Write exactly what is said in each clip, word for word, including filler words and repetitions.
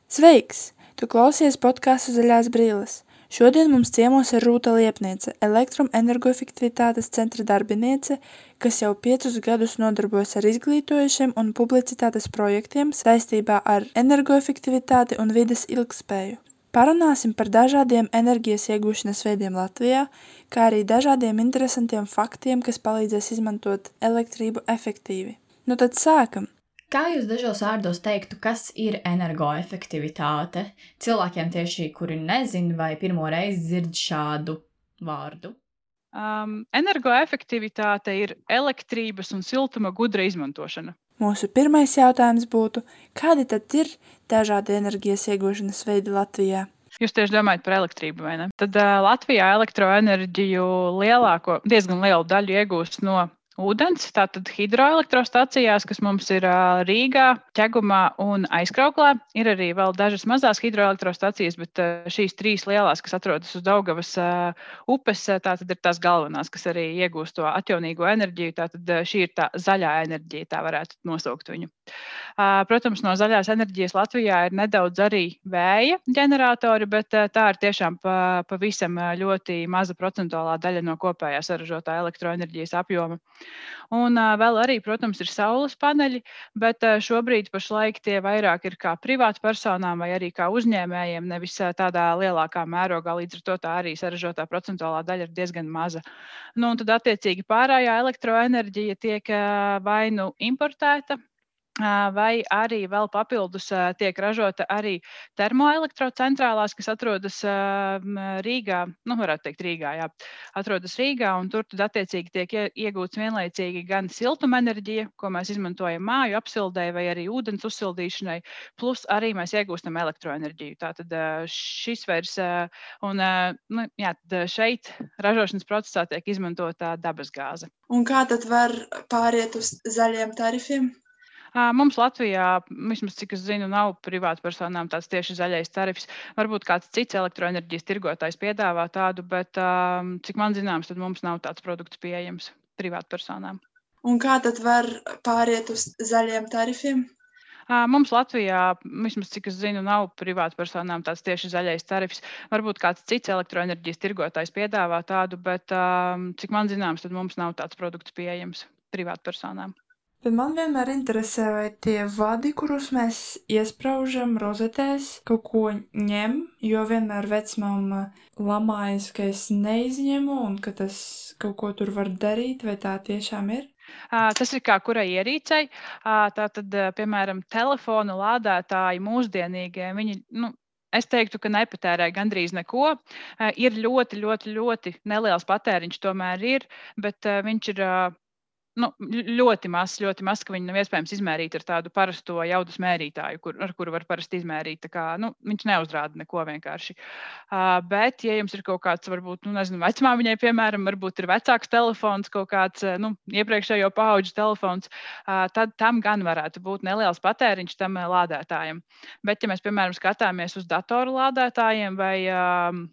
Sveiks! Tu klausies podcastu Zaļās brīles. Šodien mums ciemos ir Rūta Liepniece, elektroenergoefektivitātes centra darbiniece, kas jau piecus gadus nodarbojas ar izglītojošiem un publicitātes projektiem saistībā ar energoefektivitāti un vides ilgtspēju. Parunāsim par dažādiem enerģijas iegūšanas veidiem Latvijā, kā arī dažādiem interesantiem faktiem, kas palīdzēs izmantot elektrību efektīvi. Nu tad sākam! Kā jūs dažos vārdos teiktu, kas ir energoefektivitāte? Cilvēkiem tieši, kuri nezin vai pirmo reizi dzird šādu vārdu. Um, energoefektivitāte ir elektrības un siltuma gudra izmantošana. Mūsu pirmais jautājums būtu, kādi tad ir dažādi enerģijas iegūšanas veidi Latvijā? Jūs tieši domājat par elektrību, vai ne? Tad uh, Latvijā elektroenerģiju lielāko, diezgan lielu daļu iegūst no ūdens, tātad hidroelektrostacijās, kas mums ir uh, Rīgā, Ķegumā un Aizkrauklē. Ir arī vēl dažas mazās hidroelektrostacijas, bet uh, šīs trīs lielās, kas atrodas uz Daugavas uh, upes, uh, tātad ir tās galvenās, kas arī iegūst to atjaunīgo enerģiju. Tātad uh, šī ir tā zaļā enerģija, tā varētu nosaukt viņu. Uh, protams, no zaļās enerģijas Latvijā ir nedaudz arī vēja ģeneratori, bet uh, tā ir tiešām pa, pavisam ļoti maza procentuālā daļa no kopējā saražotā elektroenerģijas apjoma. Un uh, vēl arī, protams, ir saules paneļi, bet uh, šobrīd pašlaik tie vairāk ir kā privātpersonām vai arī kā uzņēmējiem, nevis uh, tādā lielākā mērogā, līdz ar to tā arī saražotā procentuālā daļa ir diezgan maza. Nu, un tad attiecīgi pārējā elektroenerģija tiek uh, vai nu importēta, vai arī vēl papildus tiek ražota arī termoelektrocentrālās, kas atrodas Rīgā, nu varētu teikt Rīgā, jā, atrodas Rīgā, un tur tad attiecīgi tiek iegūts vienlaicīgi gan siltumenerģija, ko mēs izmantojam māju apsildei vai arī ūdens uzsildīšanai, plus arī mēs iegūstam elektroenerģiju. Tātad šis vairs, un nu, jā, šeit ražošanas procesā tiek izmantota dabasgāze. Un kā tad var pāriet uz zaļiem tarifiem? Mums Latvijā, vismaz cik es zinu, nav privātpersonām tāds tieši zaļais tarifs. Varbūt kāds cits elektroenerģijas tirgotājs piedāvā tādu, bet cik man zināms, tad mums nav tāds produkts pieejams privātpersonām. Un kā tad var pāriet uz zaļiem tarifiem? Mums Latvijā, vismaz cik es zinu, nav privātpersonām tāds tieši zaļais tarifs. Varbūt kāds cits elektroenerģijas tirgotājs piedāvā tādu, bet cik man zināms, tad mums nav tāds produkts pieejams privātpersonām. Bet man vienmēr interesē, vai tie vadi, kurus mēs iespraužam rozetēs, kaut ko ņem, jo vienmēr vecmāma lamājas, ka es neizņemu un ka tas kaut ko tur var darīt, vai tā tiešām ir? Tas ir kā kurai ierīcei. Tātad, piemēram, telefonu lādētāji mūsdienīgie, viņi, nu, es teiktu, ka nepatērē gandrīz neko. Ir ļoti, ļoti, ļoti neliels patēriņš tomēr ir, bet viņš ir nu, ļoti maz, ļoti maz, ka viņu nav iespējams izmērīt ar tādu parasto jaudas mērītāju, kur, ar kuru var parasti izmērīt. Tā kā, nu, viņš neuzrāda neko vienkārši. Uh, bet, ja jums ir kaut kāds, varbūt, nu, nezinu, vecmāmiņai, piemēram, varbūt ir vecāks telefons, kaut kāds, nu, iepriekšējo paauģu telefons, uh, tad tam gan varētu būt neliels patēriņš tam lādētājam. Bet, ja mēs, piemēram, skatāmies uz datoru lādētājiem vai uh,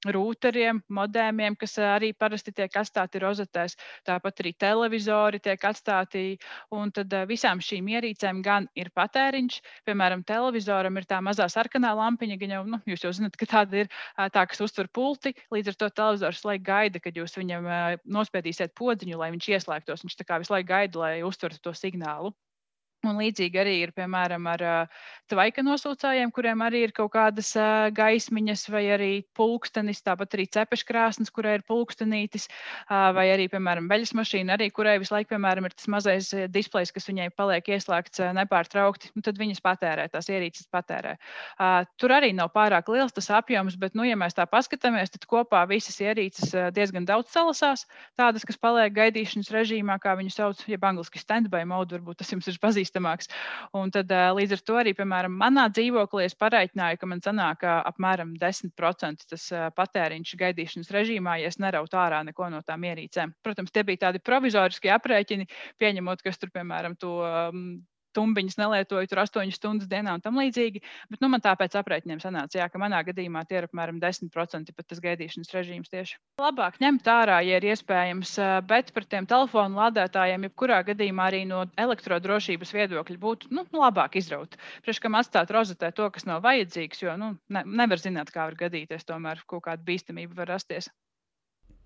rūteriem, modēmiem, kas arī parasti tiek atstāti rozetēs, tāpat arī televizori tiek atstāti, un tad visām šīm ierīcēm gan ir patēriņš. Piemēram, televizoram ir tā mazā sarkanā lampiņa, gan jau, nu, jūs jau zināt, ka tāda ir tā, kas uztver pulti, līdz ar to televizors laik gaida, kad jūs viņam nospiedīsiet podziņu, lai viņš ieslēgtos. Viņš tā kā visu laiku gaida, lai uztvertu to signālu. Un līdzīgi arī ir, piemēram, ar uh, tvaika nosūcējiem, kuriem arī ir kaut kādas uh, gaismiņas vai arī pulkstenis, tāpat arī cepeškrāsnes, kurai ir pulkstenītis, uh, vai arī, piemēram, veļas mašīna, arī kurai visu laiku, piemēram, ir tas mazais displejs, kas viņai paliek ieslēgts uh, nepārtraukti, un tad viņas patērē, tās ierīces patērē. Uh, tur arī nav pārāk liels tas apjoms, bet, nu, ja mēs tā paskatāmies, tad kopā visas ierīces uh, diezgan daudz salasās, tādas, kas paliek gaidīšanas režīmā, kā viņu sauc, jeb angliski standby mode, varbūt tas jums ir pazīstams. Un tad līdz ar to arī, piemēram, manā dzīvoklī es pareiķināju, ka man sanāk apmēram desmit procenti tas patēriņš gaidīšanas režīmā, ja es nerautu ārā neko no tām ierīcēm. Protams, tie bija tādi provizoriskie aprēķini, pieņemot, kas tur, piemēram, to tumbiņas nelietoju tur astoņas stundas dienā un tam līdzīgi. Bet nu, man tāpēc aprēķiniem sanāca, jā, ka manā gadījumā tie ir apmēram desmit procenti pat tas gaidīšanas režīms tieši. Labāk ņemt ārā, ja ir iespējams, bet par tiem telefonu lādētājiem, jebkurā gadījumā arī no elektrodrošības viedokļa būtu nu, labāk izraut. Priekš kam atstāt rozetē to, kas nav vajadzīgs, jo nu, ne, nevar zināt, kā var gadīties, tomēr kaut kāda bīstamība var rasties.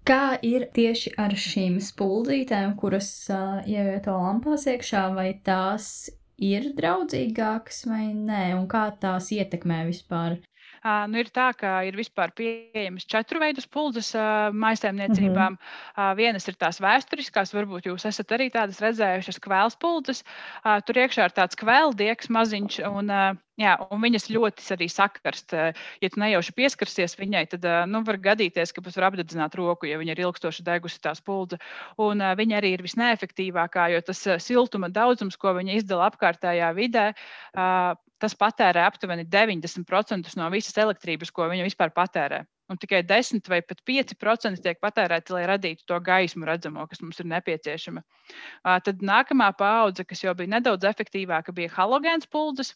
Kā ir tieši ar šīm spuldzītēm, kuras uh, ievieto lampās iekšā, vai tās ir draudzīgākas vai nē, un kā tās ietekmē vispār? Uh, nu ir tā, ka ir vispār pieejamas četru veidu spuldzes uh, mājsaimniecībām. Mm-hmm. Uh, vienas ir tās vēsturiskās, varbūt jūs esat arī tādas redzējušas kvēlspuldzes. Uh, tur iekšā ir tāds kvēldieks maziņš, un, uh, jā, un viņas ļoti arī sakarst. Uh, ja tu nejauši pieskarsies viņai, tad uh, nu, var gadīties, ka pat var apdedzināt roku, ja viņa ir ilgstoši degusi tā spuldze. Un uh, viņa arī ir visneefektīvākā, jo tas uh, siltuma daudzums, ko viņa izdala apkārtējā vidē, uh, tas patērē aptuveni deviņdesmit procentus no visas elektrības, ko viņa vispār patērē. Un tikai desmit vai pat pieci procenti tiek patērēti, lai radītu to gaismu redzamo, kas mums ir nepieciešama. Uh, tad nākamā paudze, kas jau bija nedaudz efektīvāka, bija halogēns spuldzes.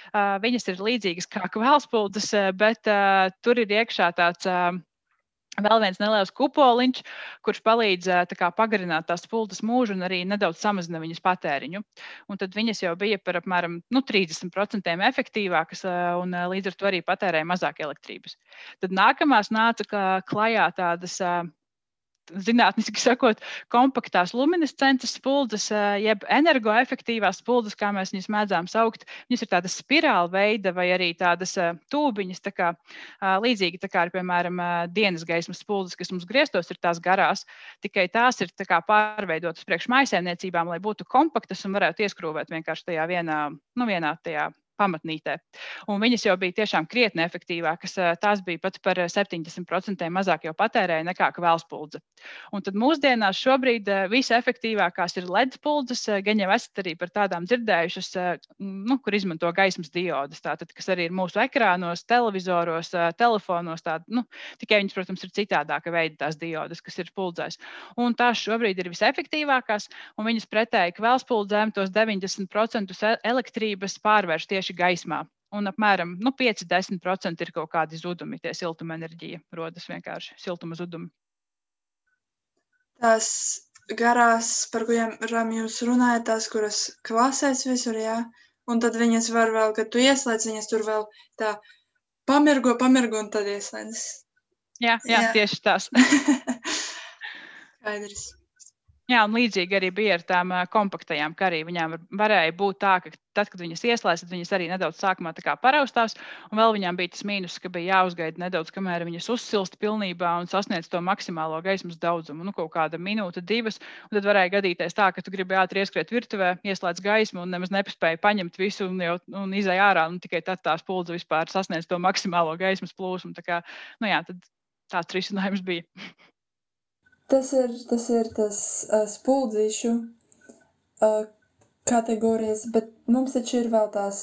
Uh, viņas ir līdzīgas kā kvēlspuldzes, bet uh, tur ir iekšā tāds uh, vēl viens neliels kupoliņš, kurš palīdz kā, pagarināt tās spuldzes mūžu un arī nedaudz samazina viņas patēriņu. Un tad viņas jau bija par apmēram nu, trīsdesmit procenti efektīvākas un līdz ar to arī patērēja mazāk elektrības. Tad nākamās nāca klajā tādas, zinātniski sakot, kompaktās luminescences spuldzes, jeb energoefektīvās spuldzes, kā mēs viņas mēdzām saukt. Viņas ir tādas spirāla veida vai arī tādas tūbiņas, tā kā, līdzīgi tā kā ir, piemēram, dienas gaismas spuldzes, kas mums griestos ir tās garās, tikai tās ir tā kā pārveidotas priekš mājsaimniecībām, lai būtu kompaktas un varētu ieskrūvēt vienkārši tajā vienā, nu vienā tajā pamatnītē. Un viņas jau bija tiešām krietni efektīvākas. Tās bija pat par septiņdesmit procenti mazāk jau patērēja nekā kvēlspuldze. Un tad mūsdienās šobrīd visefektīvākās ir L E D spuldzes, gan jau esat arī par tādām dzirdējušas, nu, kur izmanto gaismas diodes, tātad, kas arī ir mūsu ekrānos, televizoros, telefonos, tād, nu, tikai viņas, protams, ir citādāka veida tās diodes, kas ir spuldzēs. Un tās šobrīd ir visefektīvākās, un viņas pretēji kvēlspuldzēm tos deviņdesmit procentus elektrības pārvērš tieši gaismā. Un apmēram nu, pieci līdz desmit procenti ir kaut kādi zudumi, tie siltuma enerģija rodas vienkārši siltuma zudumi. Tās garās, par kurām jūs runājat, tās, kuras klasēs visur, jā, un tad viņas var vēl, kad tu ieslēdz, viņas tur vēl tā pamirgo, pamirgo un tad ieslēdz. Jā, jā, jā. Tieši tās. Skaidrs. Jā, un līdzīgi arī bija ar tām kompaktajām, ka arī viņām varēja būt tā, ka tad, kad viņas ieslēdz, tad viņas arī nedaudz sākumā tā kā paraustās, un vēl viņām bija tas mīnus, ka bija jāuzgaida nedaudz, kamēr viņas uzsilst pilnībā un sasniedz to maksimālo gaismas daudzumu, nu kaut kāda minūte, divas, un tad varēja gadīties tā, ka tu gribi ātri ieskriet virtuvē, ieslēdz gaismu un nemaz nepaspēja paņemt visu un, jau, un izej ārā, un tikai tad tā spuldze vispār sasniedz to maksimālo gaismas plūsmu, tā kā, nu jā, tad tāds risinājums bija. Tas ir tas, ir tas uh, spuldzīšu uh, kategorijas, bet mums taču ir vēl tās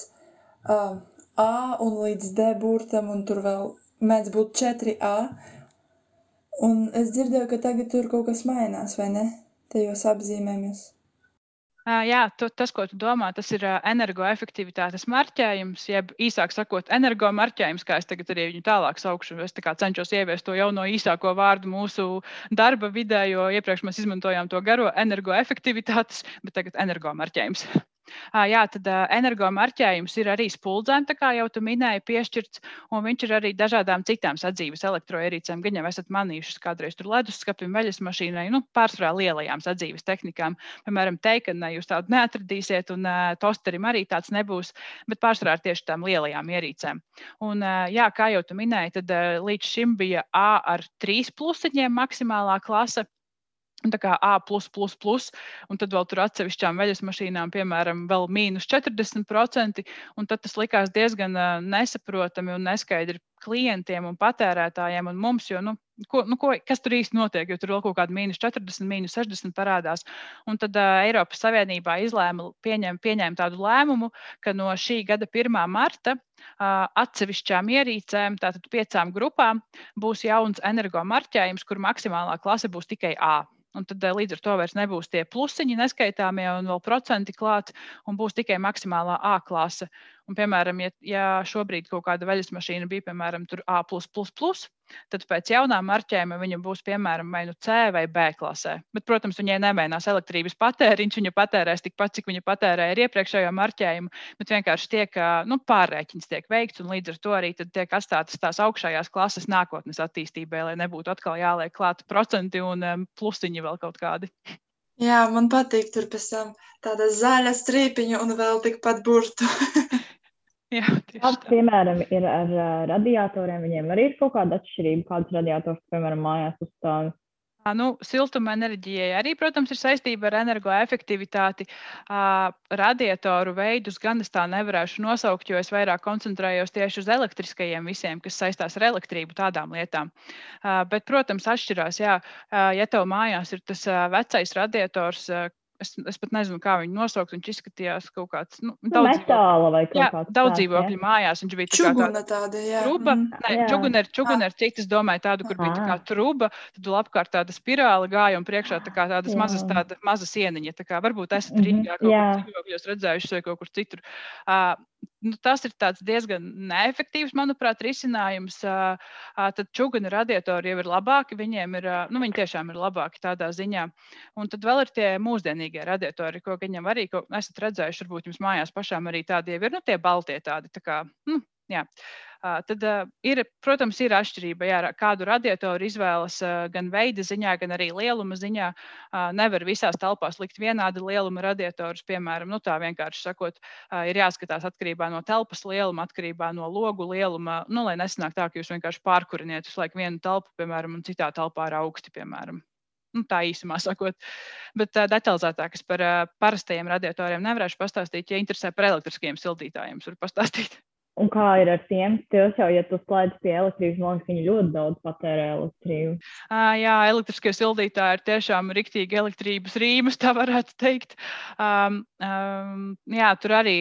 uh, A un līdz D burtam, un tur vēl mēdz būt četri A. Un es dzirdēju, ka tagad tur kaut kas mainās, vai ne? Tajos apzīmējumus. Uh, jā, tu, tas, ko tu domā, tas ir uh, energoefektivitātes marķējums, jeb īsāk sakot, energomarķējums, kā es tagad arī viņu tālāk saukšu. Es tā kā cenšos ieviest to jauno īsāko vārdu mūsu darba vidē, jo iepriekš mēs izmantojām to garo energoefektivitātes, bet tagad energomarķējums. Uh, jā, tad uh, energomarķējums ir arī spuldzēm, tā kā jau tu minēji, piešķirts, un viņš ir arī dažādām citām sadzīves elektroierīcēm. Gan jau esat manījušas kādreiz tur leduskapim, veļas mašīnai, nu, pārsvarā lielajām sadzīves tehnikām. Piemēram, teikanai jūs tādu neatradīsiet, un uh, tosterim arī tāds nebūs, bet pārsvarā tieši tām lielajām ierīcēm. Un, uh, jā, kā jau tu minēji, tad uh, līdz šim bija A ar trīs plusiņiem maksimālā klase. Un tā kā A plus, plus, plus, un tad vēl tur atsevišķām veļas mašīnām, piemēram, vēl mīnus četrdesmit procenti, un tad tas likās diezgan uh, nesaprotami un neskaidri klientiem un patērētājiem un mums, jo, nu, ko, nu ko, kas tur īsti notiek, jo tur vēl kaut kāda mīnus četrdesmit, mīnus sešdesmit parādās. Un tad uh, Eiropas Savienībā izlēma, pieņem, pieņēma tādu lēmumu, ka no šī gada pirmā marta uh, atsevišķām ierīcēm, tātad piecām grupām, būs jauns energomarķējums, kur maksimālā klase būs tikai A. Un tad līdz ar to vairs nebūs tie plusiņi neskaitāmie un vēl procenti klāt, un būs tikai maksimālā A klase. Un, piemēram, ja, ja šobrīd kaut kāda veļas mašīna bija, piemēram, tur A plus plus plus, tad pēc jaunā marķējuma viņa būs, piemēram, vai nu C vai B klasē. Bet, protams, viņai nemainās elektrības patēriņš, viņa patērēs tikpat, cik viņa patērēja ar iepriekšējo marķējumu, bet vienkārši tiek, nu, pārrēķins tiek veikts, un līdz ar to arī tad tiek atstātas tās augšējās klases nākotnes attīstībai, lai nebūtu atkal jāliek klāt procenti un um, plusiņi vēl kaut kādi. Jā, man patīk tur pēc tam tāda zaļa strīpiņa un vēl tikpat burtu. Jā, tieši Kāds, tā. piemēram, ir ar uh, radiatoriem, viņiem arī ir kaut kāda atšķirība, kāds radiators, piemēram, mājās uzstāv. Ā, Nu, siltuma enerģijai arī, protams, ir saistība ar energoefektivitāti. Ā, Radiatoru veidus gan es tā nevarēšu nosaukt, jo es vairāk koncentrējos tieši uz elektriskajiem visiem, kas saistās ar elektrību, tādām lietām. Ā, Bet, protams, atšķirās, jā, ā, ja tev mājās ir tas ā, vecais radiators, ā, es, es pat nezinu, kā viņu nosaukt, viņš izskatījās kaut kāds, nu, Nu, daudz dzīvokļu. metāla vai kaut Jā, kāds daudz tāds, dzīvokļu ja? mājās, viņš bija tā kā tāda Čuguna tāda, jā. truba. Mhm. Nē, Jā. čuguna ir, čuguna ir cita, es domāju, tādu, kur bija tā kā Aha. truba, tad vēl apkārt tāda spirāle gāja un priekšā tā kā tādas Jā. mazas, tāda maza sieniņa. Tā kā varbūt esat Mhm, Rīgā kaut jā. kur dzīvokļos redzējuši vai kaut kur citur. Ā, Nu, tas ir tāds diezgan neefektīvs, manuprāt, risinājums. Ā, ā, Tad čuguna radiatori jau ir labāki, viņiem ir, ā, nu, viņi tiešām ir labāki tādā ziņā. Un tad vēl ir tie mūsdienīgie radiatori, ko viņam arī, ko esat redzējuši, varbūt jums mājās pašām arī tādi jau ir, nu, tie baltie tādi, tā kā, nu, jā. Ā, Tad ā, ir, protams, ir atšķirība, jā, kādu radiatoru izvēlas ā, gan veida ziņā, gan arī lieluma ziņā. Ā, Nevar visās telpās likt vienāda lieluma radiatorus, piemēram, nu, tā vienkārši sakot, ā, ir jāskatās atkarībā no telpas lieluma, atkarībā no logu lieluma, nu, lai nesanāk tā, ka jūs vienkārši pārkuriniet uz laiku vienu telpu, piemēram, un citā telpā ir augsti, piemēram. Nu, tā īsumā sakot. Bet uh, detalizētāk es par uh, parastajiem radiatoriem nevarēšu pastāstīt. Ja interesē par elektriskiem sildītājiem, es varu pastāstīt. Un kā ir ar tiem? Tos jau, ja tu slēdz pie elektrības, man liekas, viņi ļoti daudz patērē elektrību. Uh, jā, elektriskie sildītāji ir tiešām riktīgi elektrības rīmas, tā varētu teikt. Um, um, jā, tur arī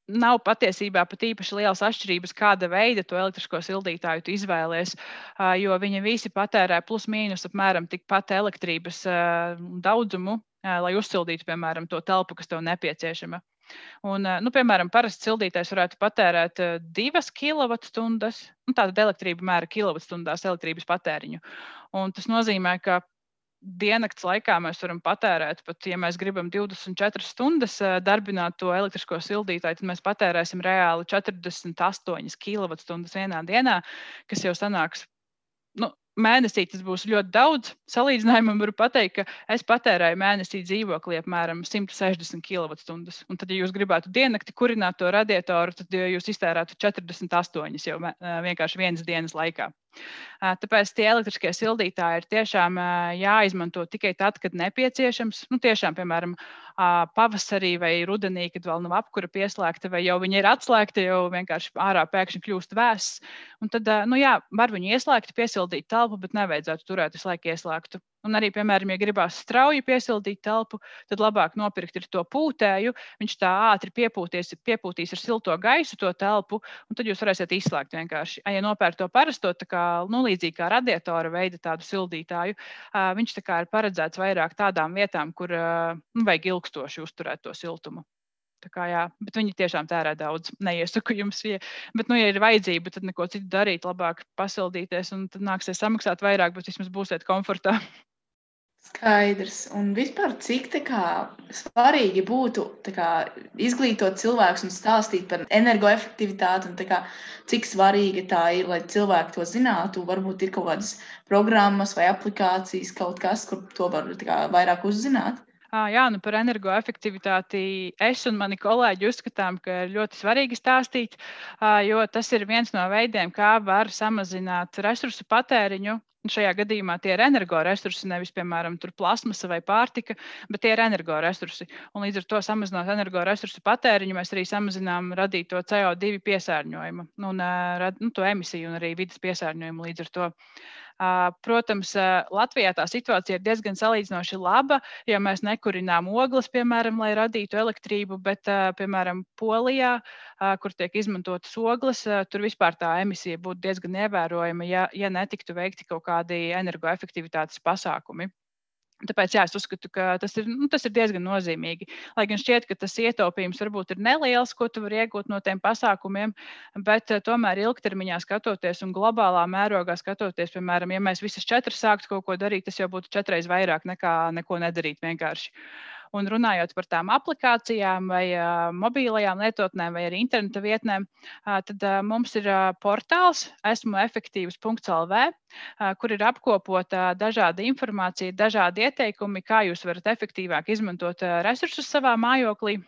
nav patiesībā pat īpaši lielas atšķirības, kāda veida to elektrisko sildītāju tu izvēlies, ā, jo viņi visi patērē plus mīnus apmēram tikpat elektrības ā, daudzumu, ā, lai uzsildītu, piemēram, to telpu, kas tev nepieciešama. Un, ā, nu, piemēram, parasts sildītājs varētu patērēt ā, divas kilovatstundas, nu, tātad elektrība mēra kilovatstundās elektrības patēriņu. Un tas nozīmē, ka diennakts laikā mēs varam patērēt, pat ja mēs gribam divdesmit četras stundas ā, darbināt to elektrisko sildītāju, tad mēs patērēsim reāli četrdesmit astoņas kilovatstundas vienā dienā, kas jau sanāks, nu, mēnesī tas būs ļoti daudz. Salīdzinājumam varu pateikt, ka es patērēju mēnesī dzīvoklī apmēram simt sešdesmit kilovatstundas. Un tad, ja jūs gribētu diennakti kurināt to radiatoru, tad jūs iztērētu četrdesmit astoņas jau mē- ā, vienkārši vienas dienas laikā. Ā, Tāpēc tie elektriskie sildītāji ir tiešām ā, jāizmanto tikai tad, kad nepieciešams. Nu, tiešām, piemēram, ā, pavasarī vai rudenī, kad vēl nav apkura pieslēgta, vai jau viņa ir atslēgta, jau vienkārši ārā pēkšņi kļūst vēss. Un tad, ā, nu jā, var viņu ieslēgt, piesildīt telpu, bet nevajadzētu turēt visu laiku ieslēgtu. Un arī, piemēram, ja gribās strauji piesildīt telpu, tad labāk nopirkt ir to pūtēju. Viņš tā ātri piepūties, piepūtīs ar silto gaisu to telpu, un tad jūs varēsiet izslēgt vienkārši. Ja nopērk to parasto, tā kā, nu, līdzīgi kā radiatora veida tādu sildītāju, ā, viņš tā kā ir paredzēts vairāk tādām vietām, kur ā, nu, vajag ilgstoši uzturēt to siltumu. Tā kā, jā, bet viņi tiešām tērē daudz. Neiesaku jums, ja, bet, nu, ja ir vajadzība, tad neko citu darīt, labāk pasildīties, un tad nāksies samaksāt vairāk, bet vismaz būsiet komfortā. Skaidrs. Un vispār, cik tā kā, svarīgi būtu tā kā, izglītot cilvēkus un stāstīt par energoefektivitāti, un tā kā, cik svarīga tā ir, lai cilvēki to zinātu. Varbūt ir kaut kādas programmas vai aplikācijas, kaut kas, kur to var tā kā, vairāk uzzināt. Ā, Jā, nu par energoefektivitāti es un mani kolēģi uzskatām, ka ir ļoti svarīgi stāstīt, ā, jo tas ir viens no veidiem, kā var samazināt resursu patēriņu. Un šajā gadījumā tie ir energoresursi, nevis, piemēram, tur plasmasa vai pārtika, bet tie ir energoresursi. Un līdz ar to samazinot energoresursu patēriņu, mēs arī samazinām radīto C O divi piesārņojumu, un, ā, rad- nu, to emisiju un arī vidas piesārņojumu līdz ar to. Ā, Protams, ā, Latvijā tā situācija ir diezgan salīdzinoši laba, jo mēs nekurinām ogles, piemēram, lai radītu elektrību, bet, ā, piemēram, Polijā, ā, kur tiek izmantotas ogles, ā, tur vispār tā emisija būtu diezgan ievērojama, ja, ja netiktu veikti kaut kādi energoefektivitātes pasākumi. Tāpēc jā, es uzskatu, ka tas ir, nu, tas ir diezgan nozīmīgi. Lai gan šķiet, ka tas ietaupījums varbūt ir neliels, ko tu vari iegūt no tiem pasākumiem, bet uh, tomēr ilgtermiņā skatoties un globālā mērogā skatoties, piemēram, ja mēs visas četras sāktu kaut ko darīt, tas jau būtu četreiz vairāk nekā neko nedarīt vienkārši. Un runājot par tām aplikācijām vai uh, mobīlajām lietotnēm vai arī interneta vietnēm, uh, tad uh, mums ir uh, portāls esmu efektīvs punkts el vē, uh, kur ir apkopota uh, dažāda informācija, dažādi ieteikumi, kā jūs varat efektīvāk izmantot uh, resursus savā mājoklī.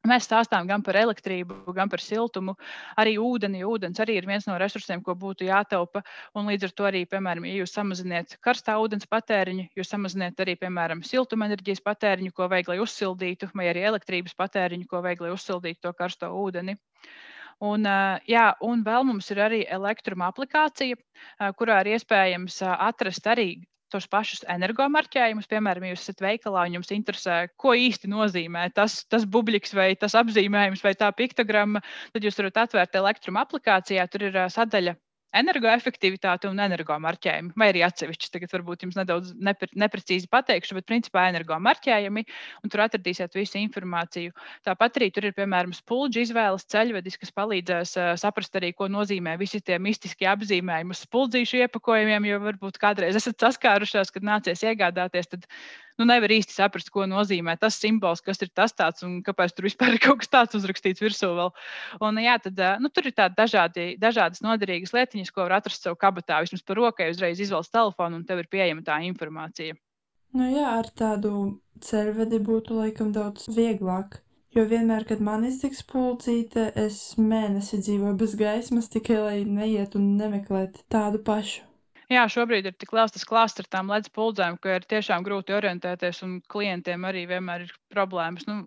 Mēs stāstām gan par elektrību, gan par siltumu, arī ūdeni. Ūdens arī ir viens no resursiem, ko būtu jātaupa. Un līdz ar to arī, piemēram, ja jūs samaziniet karstā ūdens patēriņu, jūs samaziniet arī, piemēram, siltumenerģijas patēriņu, ko vajag, lai uzsildītu, vai arī elektrības patēriņu, ko vajag, lai uzsildītu to karsto ūdeni. Un, jā, un vēl mums ir arī elektruma aplikācija, kurā ir iespējams atrast arī tos pašus energomarķējumus. Piemēram, ja jūs esat veikalā un jums interesē, ko īsti nozīmē tas, tas bubļiks vai tas apzīmējums vai tā piktogramma, tad jūs varat atvērt elektruma aplikācijā, tur ir sadaļa energoefektivitāte un energomarķējumi, vai arī atsevišķi. Tagad varbūt jums nedaudz nepre, neprecīzi pateikšu, bet principā energomarķējumi, un tur atradīsiet visu informāciju. Tāpat arī tur ir, piemēram, spuldžu izvēles ceļvedis, kas palīdzēs uh, saprast arī, ko nozīmē visi tie mistiskie apzīmējumi uz spuldzīšu iepakojumiem, jo varbūt kādreiz esat saskārušās, kad nācies iegādāties, tad nu, nevar īsti saprast, ko nozīmē tas simbols, kas ir tas tāds un kāpēc tur vispār ir kaut kas tāds uzrakstīts virsū vēl. Un, jā, tad, nu, tur ir tādi dažādi, dažādas noderīgas lietiņas, ko var atrast savu kabatā. Vismaz par rokai uzreiz izvelc telefonu un tev ir pieejama tā informācija. Nu jā, ar tādu ceļvedi būtu laikam daudz vieglāk. Jo vienmēr, kad man iztiks pulcīte, es mēnesi dzīvoju bez gaismas, tikai lai neiet un nemeklēt tādu pašu. Jā, šobrīd ir tik liels tas klāsts ar tām ledus puldzēm, ka ir tiešām grūti orientēties, un klientiem arī vienmēr ir problēmas. Nu,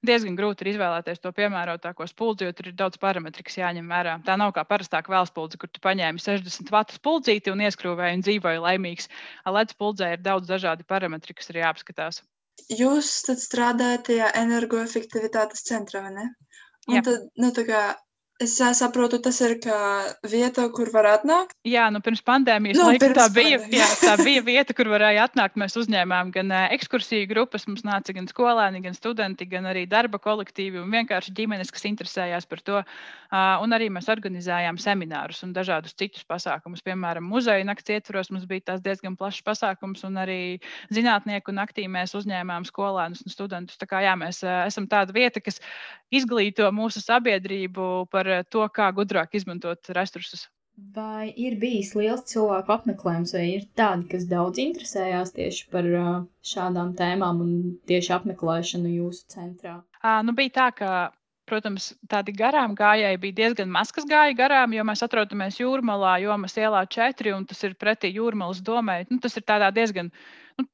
diezgan grūti ir izvēlēties to piemērotāko spuldzi, jo tur ir daudz parametri, kas jāņem vērā. Tā nav kā parastā kvēlspuldze, kur tu paņēmi sešdesmit vatu spuldzīti un ieskrūvēji un dzīvoji laimīgs. Ledus puldzē ir daudz dažādi parametri, kas ir jāapskatās. Jūs tad strādājat tajā energoefektivitātes centrā, vai ne? Un Jā. tad, nu, tā kā es saprotu, tas ir kā vieta, kur var atnākt? Jā, nu pirms pandēmijas Nu, laika pirms tā bija, pandēmijas. jā, tā bija vieta, kur varēja atnākt. Mēs uzņēmām gan uh, ekskursiju grupas, mums nāca gan skolēni, gan studenti, gan arī darba kolektīvi un vienkārši ģimenes, kas interesējās par to. Uh, un arī mēs organizējām seminārus un dažādus citus pasākumus. Piemēram, muzeja nakts ietvaros mums bija tās diezgan plašs pasākums, un arī zinātnieku naktī mēs uzņēmām skolēnus un studentus. Tā kā jā, mēs uh, esam tāda vieta, kas izglīto mūsu sabiedrību par to, kā gudrāk izmantot resursus. Vai ir bijis liels cilvēku apmeklējums, vai ir tādi, kas daudz interesējās tieši par uh, šādām tēmām un tieši apmeklēšanu jūsu centrā? À, nu bija tā, ka, protams, tādi garām gājēji bija diezgan maz, kas gāja garām, jo mēs atrodamies Jūrmalā, Jomas ielā četri, un tas ir pretī Jūrmalas domai. Nu, tas ir tādā diezgan... Nu,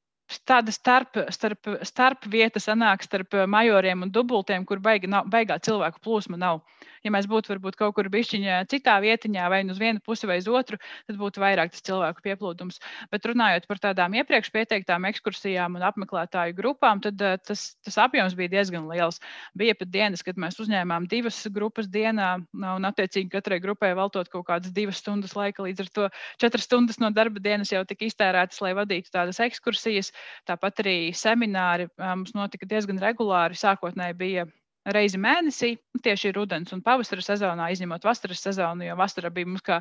tāda starp, starp, starp vieta sanāk starp majoriem un dubultiem, kur baigi nav, baigā cilvēku plūsma nav. Ja mēs būtu varbūt kaut kur bišķiņā citā vietiņā, vai uz vienu pusi vai uz otru, tad būtu vairāk tas cilvēku pieplūdums. Bet runājot par tādām iepriekš pieteiktām ekskursijām un apmeklētāju grupām, tad tas, tas apjoms bija diezgan liels. Bija pat dienas, kad mēs uzņēmām divas grupas dienā, un attiecīgi katrai grupai veltot kaut kādas divas stundas laika, līdz ar to četras stundas no darba dienas jau tika iztērētas, lai vadītu tādas ekskursijas. Tāpat arī semināri mums notika diezgan regulāri. Sākotnēji bija reizi mēnesī, tieši rudens un pavasara sezonā, izņemot vasaras sezonu, jo vasara bija mums kā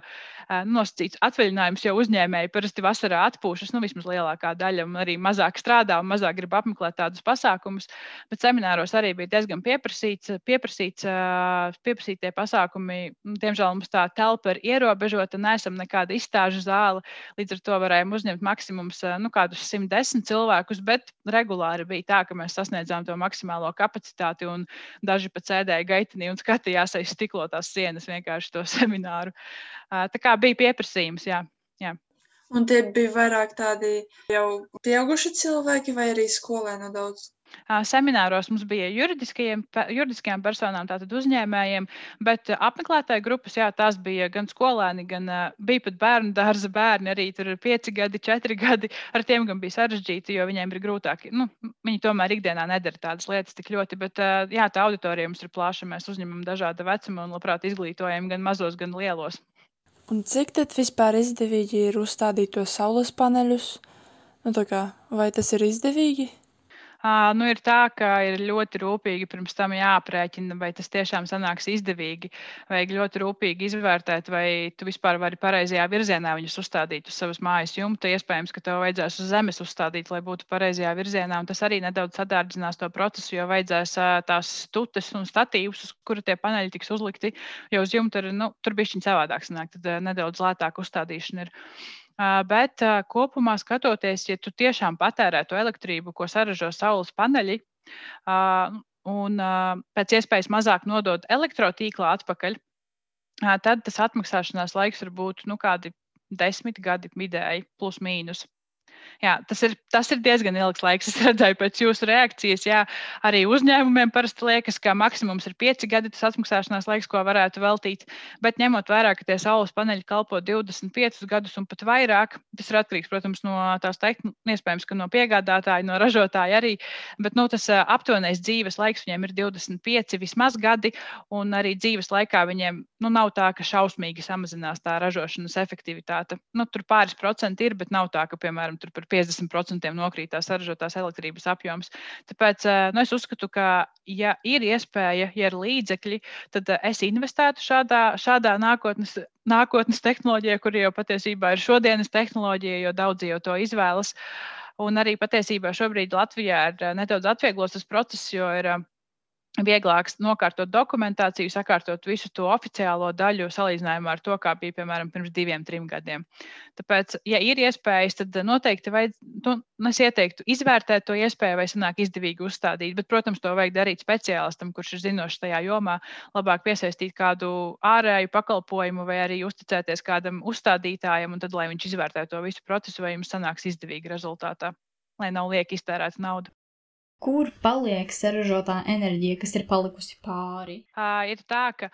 nosacīts atvaļinājums, jo uzņēmēji parasti vasarā atpūšas, nu vismaz lielākā daļa, un arī mazāk strādā un mazāk grib apmeklēt tādus pasākumus, bet semināros arī bija diezgan pieprasīts, pieprasīts, pieprasītie pasākumi. Diemžēl mums tā telpa ir ierobežota, neesam nekāda izstāžu zāle, līdz ar to varējām uzņemt maksimums, nu kādus simt desmit cilvēkus, bet regulāri bija tā, ka mēs sasniedzām to maksimālo kapacitāti un daži pat sēdēja gaitenī un skatījās aiz stiklotās sienas vienkārši to semināru. Tā kā bija pieprasījums, jā. jā. Un tie bija vairāk tādi jau pieauguši cilvēki vai arī skolēni daudz? Semināros mums bija juridiskajām personām, tātad uzņēmējiem, bet apmeklētāju grupas, jā, tās bija gan skolēni, gan bija pat bērnu dārza bērni, arī tur ir pieci gadi, četri gadi. Ar tiem gan bija sarežģīti, jo viņiem ir grūtāk. Nu, viņi tomēr ikdienā nedara tādas lietas tik ļoti, bet jā, tā auditorija mums ir plaša. Mēs uzņemam dažāda vecuma un labprāt izglītojam gan mazos, gan lielos. Un cik tad vispār izdevīgi ir uzstādīt tos saules paneļus? Nu, tā kā, vai tas ir izdevīgi? Uh, nu, ir tā, ka ir ļoti rūpīgi pirms tam jāaprēķina, vai tas tiešām sanāks izdevīgi. Vajag ļoti rūpīgi izvērtēt, vai tu vispār vari pareizajā virzienā viņus uzstādīt uz savas mājas jumta. Iespējams, ka tev vajadzēs uz zemes uzstādīt, lai būtu pareizajā virzienā. Un tas arī nedaudz sadārdzinās to procesu, jo vajadzēs uh, tās stutes un statīvus, uz kura tie paneļi tiks uzlikti. Jo uz jumta ir, nu, tur bišķiņ savādāk sanāk, tad uh, nedaudz lētāk uzstādīšana ir. Uh, bet uh, kopumā skatoties, ja tu tiešām patērē to elektrību, ko saražo saules paneļi, uh, un uh, pēc iespējas mazāk nodod elektrotīklā atpakaļ, uh, tad tas atmaksāšanās laiks var būt nu, kādi desmit gadi vidēji, plus mīnus. Jā, tas ir, tas ir diezgan ilgs laiks. Es redzēju pēc jūsu reakcijas. Jā, arī uzņēmumiem parasti liekas, ka maksimums ir pieci gadi tas atmaksāšanās laiks, ko varētu veltīt. Bet ņemot vērā, ka tie saules paneļi kalpo divdesmit piecus gadus un pat vairāk, tas ir atkarīgs, protams, no tās tehn... iespējams, ka no piegādātāja, no ražotāja arī. Bet nu, tas aptuvenais dzīves laiks viņiem ir divdesmit pieci vismaz gadi, un arī dzīves laikā viņiem nu, nav tā, ka šausmīgi samazinās tā ražošanas efektivitāte. Nu, tur pāris procenti ir, bet nav tā, ka, piemēram, tur par piecdesmit procentiem nokrītās saražotās elektrības apjoms. Tāpēc nu, es uzskatu, ka, ja ir iespēja, ja ir līdzekļi, tad es investētu šādā, šādā nākotnes, nākotnes tehnoloģijā, kur jau patiesībā ir šodienas tehnoloģija, jo daudzi jau to izvēlas. Un arī patiesībā šobrīd Latvijā ir nedaudz atvieglos tas process, jo ir vieglāks nokārtot dokumentāciju, sakārtot visu to oficiālo daļu salīdzinājumā ar to, kā bija, piemēram, pirms diviem, trim gadiem. Tāpēc, ja ir iespējas, tad noteikti vajadz, nu, es ieteiktu izvērtēt to iespēju, vai sanāk izdevīgi uzstādīt, bet, protams, to vajag darīt speciālistam, kurš ir zinošs tajā jomā, labāk piesaistīt kādu ārēju pakalpojumu vai arī uzticēties kādam uzstādītājam, un tad, lai viņš izvērtē to visu procesu, vai jums sanāks izdevīgi rezultātā, lai nav lieki iztērēta nauda. Kur paliek saražotā enerģija, kas ir palikusi pāri? Uh, ir tā, ka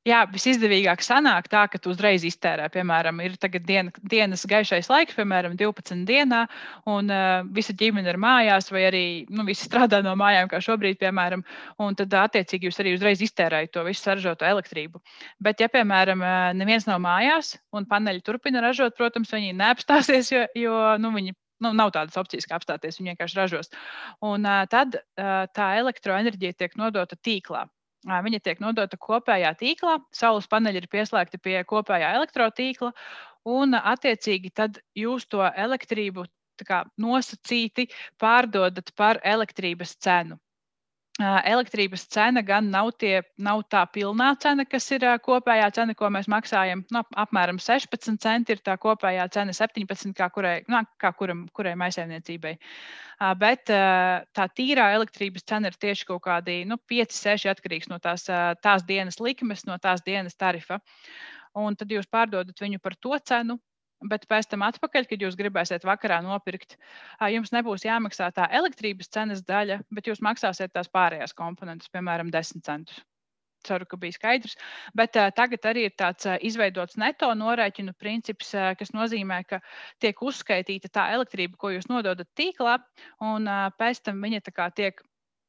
jā, visizdevīgāk sanāk tā, ka tu uzreiz iztērē. Piemēram, ir tagad diena, dienas gaišais laiks, piemēram, divpadsmit dienā, un uh, visa ģimene ir mājās, vai arī nu, visi strādā no mājām, kā šobrīd, piemēram, un tad attiecīgi jūs arī uzreiz iztērējat to visu saražoto elektrību. Bet, ja, piemēram, neviens nav mājās, un paneļi turpina ražot, protams, viņi neapstāsies, jo, jo nu, viņi Nu, nav tādas opcijas, kā apstāties, viņi vienkārši ražos. Un uh, tad uh, tā elektroenerģija tiek nodota tīklā. Uh, viņa tiek nodota kopējā tīklā, saules paneļi ir pieslēgti pie kopējā elektrotīkla, un uh, attiecīgi tad jūs to elektrību tā kā nosacīti pārdodat par elektrības cenu. Elektrības cena gan nav, tie, nav tā pilnā cena, kas ir kopējā cena, ko mēs maksājam. Nu, apmēram sešpadsmit centi ir tā kopējā cena, septiņpadsmit kā kurai, nu, kā kuram, kurai maisaimniecībai. Bet tā tīrā elektrības cena ir tieši kaut kādi nu, pieci, seši atkarīgs no tās, tās dienas likmes, no tās dienas tarifa. Un tad jūs pārdodat viņu par to cenu. Bet pēc tam atpakaļ, kad jūs gribēsiet vakarā nopirkt, jums nebūs jāmaksā tā elektrības cenas daļa, bet jūs maksāsiet tās pārējās komponentes, piemēram, desmit centus. Ceru, ka bija skaidrs. Bet uh, tagad arī ir tāds uh, izveidots neto norēķinu princips, uh, kas nozīmē, ka tiek uzskaitīta tā elektrība, ko jūs nododat tīklā, un uh, pēc tam viņa tā kā tiek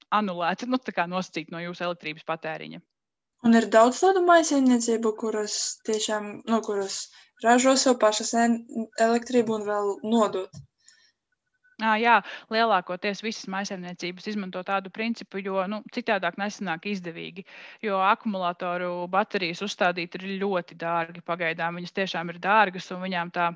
anulēta, nu tā kā nosacīta no jūsu elektrības patēriņa. Un ir daudz tādu maisaimniecību, kuras tiešām, nu, kuras ražo sev pašas elektrību un vēl nodot. Jā, lielākoties visas maisaimniecības izmanto tādu principu, jo nu, citādāk nesanāk izdevīgi. Jo akumulātoru baterijas uzstādīt ir ļoti dārgi pagaidām. Viņas tiešām ir dārgas un viņām tā,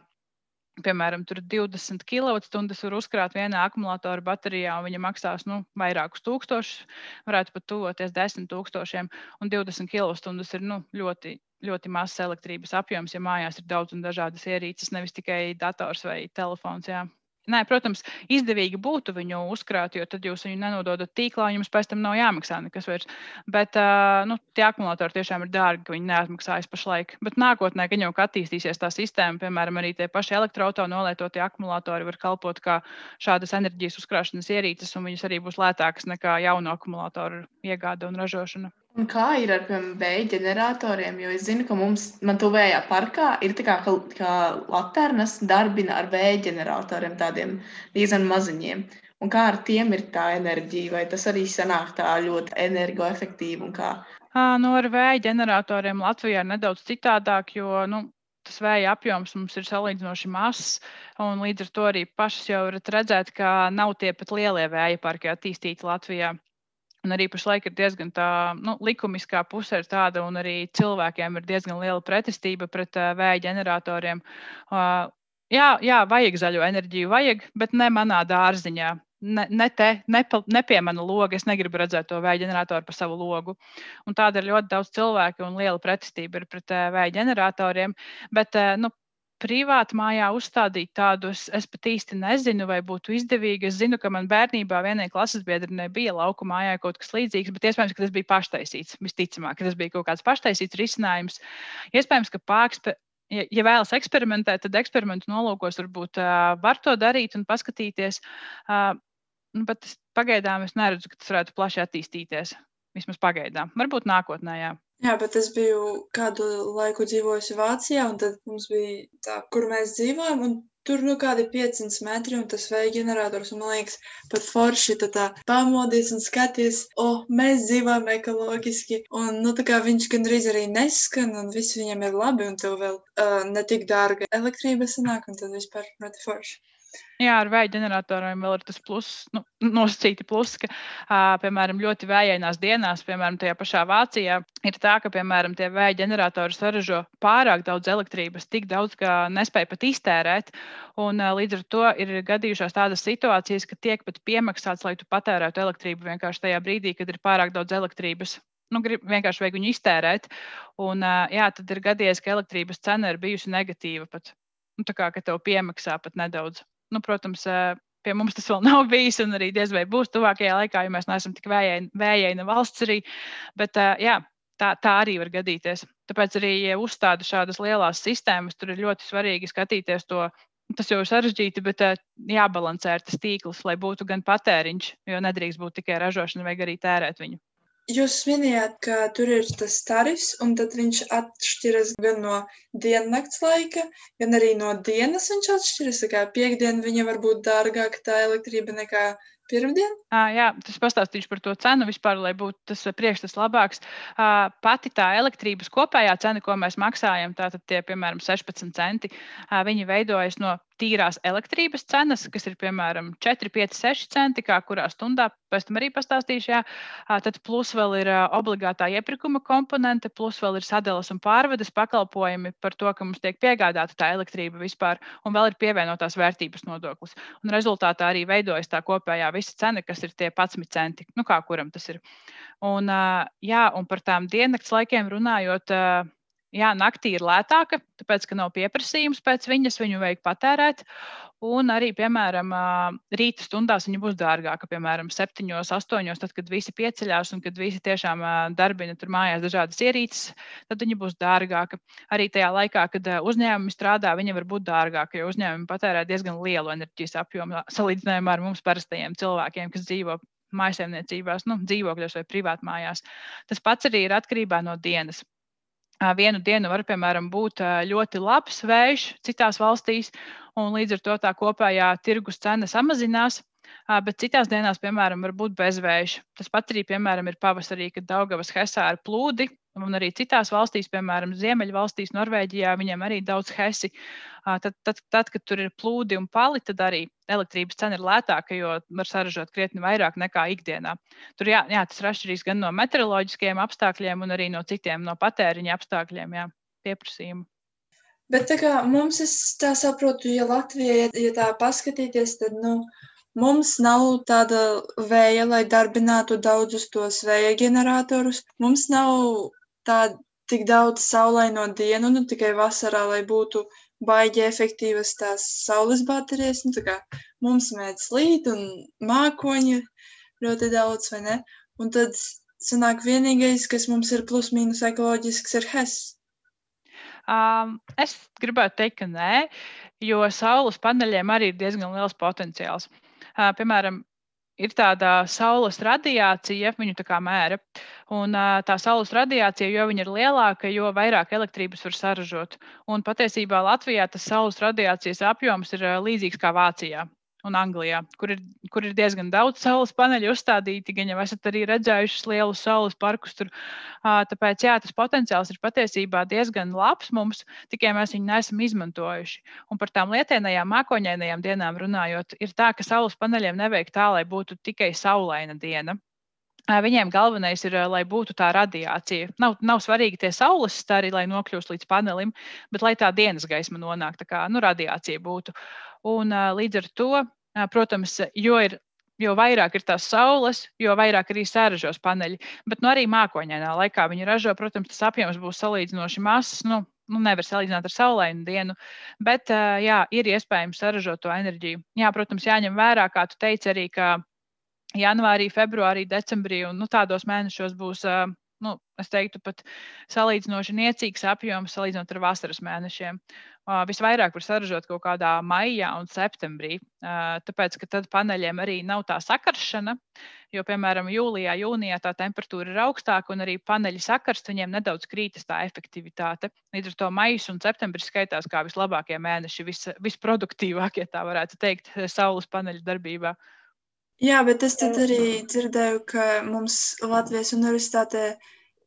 piemēram, tur divdesmit kilovatstundas var uzkrāt vienā akumulātoru baterijā un viņa maksās nu, vairākus tūkstošus, varētu pat tuvoties desmit tūkstošiem. Un divdesmit kilovatstundas ir nu, ļoti, ļoti mazs elektrības apjoms, ja mājās ir daudz un dažādas ierīces, nevis tikai dators vai telefons. Jā. Nē, protams, izdevīgi būtu viņu uzkrāt, jo tad jūs viņu nenododat tīklā, un jums pēc tam nav jāmaksā nekas vairs. Bet uh, nu, tie akumulātori tiešām ir dārgi, ka viņi neatmaksājas pašlaik. Bet nākotnē, kad jau attīstīsies tā sistēma, piemēram, arī tie paši elektroauto nolietotie akumulātori var kalpot kā šādas enerģijas uzkrāšanas ierīces, un viņas arī būs lētākas nekā jaunu akumulātoru iegāde un ražošana. Un kā ir ar vēja ģeneratoriem? Jo es zinu, ka mums, man tuvējā parkā ir tā kā, kā laternas darbina ar vēja ģeneratoriem, tādiem diezgan maziņiem. Un kā ar tiem ir tā enerģija? Vai tas arī sanāk tā ļoti energoefektīvi? Un kā? À, nu, ar vēja ģeneratoriem Latvijā ir nedaudz citādāk, jo nu, tas vēja apjoms mums ir salīdzinoši mazs, un līdz ar to arī pašas jau varat redzēt, ka nav tie pat lielie vēja parki attīstīti Latvijā. Un arī pašlaik ir diezgan tā, nu, likumiskā puse ir tāda, un arī cilvēkiem ir diezgan liela pretestība pret uh, vēja ģeneratoriem. Uh, jā, jā, vajag zaļo enerģiju, vajag, bet ne manā dārziņā. Ne, ne te, ne, pa, ne pie mana loga. Es negribu redzēt to vēja ģeneratoru pa savu logu. Un tāda ir ļoti daudz cilvēku un liela pretestība ir pret uh, vēja ģeneratoriem. Bet, uh, nu, privāti mājā uzstādīt tādu, es, es pat īsti nezinu, vai būtu izdevīgi. Es zinu, ka man bērnībā vienai klases biedrinei bija lauku mājā kaut kas līdzīgs, bet iespējams, ka tas bija paštaisīts. Visticamāk, ka tas bija kaut kāds paštaisīts risinājums. Iespējams, ka pārkspe... Ja, ja vēlas eksperimentēt, tad eksperimentu nolūkos varbūt uh, var to darīt un paskatīties. Uh, nu, bet pagaidām es neredzu, ka tas varētu plaši attīstīties. Vismaz pagaidām. Varbūt nākotnē, jā. Jā, bet es biju kādu laiku dzīvojusi Vācijā, un tad mums bija tā, kur mēs dzīvojam, un tur nu kādi piecsimt metri, un tas vēja ģenerators, un man liekas, pat forši tā tā pamodies un skaties, o, oh, mēs dzīvojam ekoloģiski, un nu tā kā viņš gandrīz arī neskan, un viss viņam ir labi, un tev vēl uh, netik dārga elektrība sanāk, un tad vispār ļoti forši. Jā, ar vēja ģeneratoriem vēl ir tas plus, nu, nosacīti plus, ka, uh, piemēram, ļoti vējainās dienās, piemēram, tajā pašā Vācijā, ir tā, ka, piemēram, tie vēja ģeneratori saražo pārāk daudz elektrības, tik daudz, ka nespēja pat iztērēt, un uh, līdz ar to ir gadījušās tādas situācijas, ka tiek pat piemaksāts, lai tu patērētu elektrību vienkārši tajā brīdī, kad ir pārāk daudz elektrības. Nu, grib, vienkārši vajag viņu iztērēt, un uh, jā, tad ir gadījies, ka elektrības cena ir bijusi negatīva pat, nu, tā kā, ka tev piemaksā pat nedaudz. Nu, protams, pie mums tas vēl nav bijis, un arī diez vai būs tuvākajā laikā, jo mēs neesam tik vējaina valsts arī. Bet jā, tā, tā arī var gadīties. Tāpēc arī, ja uzstāda šādas lielās sistēmas, tur ir ļoti svarīgi skatīties to. Tas jau ir sarežģīti, bet jābalansē ar tas tīkls, lai būtu gan patēriņš, jo nedrīkst būt tikai ražošana, vajag arī tērēt viņu. Jūs minējāt, ka tur ir tas tarifs, un tad viņš atšķiras gan no diennakts laika, gan arī no dienas viņš atšķiras. Tā kā piekdien viņa var būt dārgāka tā elektrība nekā pirmdien? À, jā, tas pastāstīšu par to cenu vispār, lai būtu tas priekšstats labāks. À, pati tā elektrības kopējā cena, ko mēs maksājam, tātad tie, piemēram, sešpadsmit centi, à, viņi veidojas no tīrās elektrības cenas, kas ir, piemēram, četri, pieci, seši centi, kā kurā stundā, pēc tam arī pastāstīšu, jā. À, tad plus vēl ir obligātā iepirkuma komponente, plus vēl ir sadalas un pārvedes pakalpojumi par to, ka mums tiek piegādāta tā elektrība vispār, un vēl ir pievienotās vērtības nodoklis. Un rezultātā arī veidojas tā kopējā visa cena, kas ir tie padsmit centi, nu kā kuram tas ir. Un, jā, un par tām diennakts laikiem runājot, jā, naktī ir lētāka, tāpēc, ka nav pieprasījums pēc viņas, viņu vajag patērēt. Un arī, piemēram, rīta stundās viņa būs dārgāka, piemēram, septiņos, astoņos, tad, kad visi pieceļās un kad visi tiešām darbina tur mājās dažādas ierīces, tad viņa būs dārgāka. Arī tajā laikā, kad uzņēmumi strādā, viņa var būt dārgāka, jo uzņēmumi patērē diezgan lielu enerģijas apjomu salīdzinājumā ar mums parastajiem cilvēkiem, kas dzīvo mājsaimniecībās, nu, dzīvokļos vai privātmājās. Tas pats arī ir atkarībā no dienas. Vienu dienu var, piemēram, būt ļoti labs vējš citās valstīs, un līdz ar to tā kopējā tirgus cena samazinās, bet citās dienās, piemēram, var būt bezvējš. Tas pats arī, piemēram, ir pavasarī, kad Daugavas hesā ir plūdi, un arī citās valstīs, piemēram, Ziemeļvalstīs, Norvēģijā, viņiem arī daudz hesi. Tad, tad, tad, kad tur ir plūdi un pali, tad arī elektrības cena ir lētāka, jo var saražot krietni vairāk nekā ikdienā. Tur jā, jā, tas ir atšķirīgs gan no meteoroloģiskajiem apstākļiem, un arī no citiem, no patēriņa apstākļiem, jā, pieprasījumu. Bet tā kā mums, es tā saprotu, ja Latvijā, ja, ja tā paskatīties, tad, nu, mums nav tāda vēja, lai darbinātu daudzus tos vēja ģeneratorus. Mums nav tā tik daudz saulaino dienu, nu, tikai vasarā, lai būtu baigi efektīvas tās saules baterijas. Nu, tā kā mums mēdz līt un mākoņi ļoti daudz, vai ne? Un tad sanāk vienīgais, kas mums ir plus mīnus ekoloģisks, ir H E S. Um, es gribētu teikt, ka nē, jo saules paneļiem arī ir diezgan liels potenciāls. Uh, piemēram, ir tāda saules radiācija, viņu tā kā mēra, un uh, tā saules radiācija, jo viņa ir lielāka, jo vairāk elektrības var saražot. Un patiesībā Latvijā tas saules radiācijas apjoms ir uh, līdzīgs kā Vācijā. un Anglijā, kur ir, kur ir diezgan daudz saules paneļu uzstādīti, gan jau esat arī redzējušas lielus saules parkus tur. Tāpēc, jā, tas potenciāls ir patiesībā diezgan labs mums, tikai mēs viņu neesam izmantojuši. Un par tām lietainajām mākoņainajām dienām runājot, ir tā, ka saules paneļiem nevajag tā, lai būtu tikai saulaina diena. Viņiem galvenais ir, lai būtu tā radiācija. Nav, nav svarīgi tie saules stari, lai nokļūst līdz panelim, bet lai tā dienas gaisma nonāk, tā kā nu, radiācija būtu. Un līdz ar to, protams, jo, ir, jo vairāk ir tās saules, jo vairāk arī saražos paneļi. Bet nu, arī mākoņainā laikā viņi ražo, protams, tas apjoms būs salīdzinoši mazs. Nu, nu, nevar salīdzināt ar saulainu dienu, bet jā, ir iespējams saražot to enerģiju. Jā, protams, jāņem vērā, kā tu teici arī, ka janvārī, februārī, decembrī un nu, tādos mēnešos būs, nu, es teiktu, pat salīdzinoši niecīgs apjoms salīdzinot ar vasaras mēnešiem. Visvairāk var saražot kaut kādā maijā un septembrī, tāpēc, ka tad paneļiem arī nav tā sakaršana, jo, piemēram, jūlijā, jūnijā tā temperatūra ir augstāka un arī paneļi sakarst, viņiem nedaudz krītas tā efektivitāte. Līdz ar to maijs un septembris skaitās kā vislabākie mēneši, vis, visproduktīvākie, tā varētu teikt, saules paneļu darbībā. Jā, bet es tad arī dzirdēju, ka mums Latvijas universitātē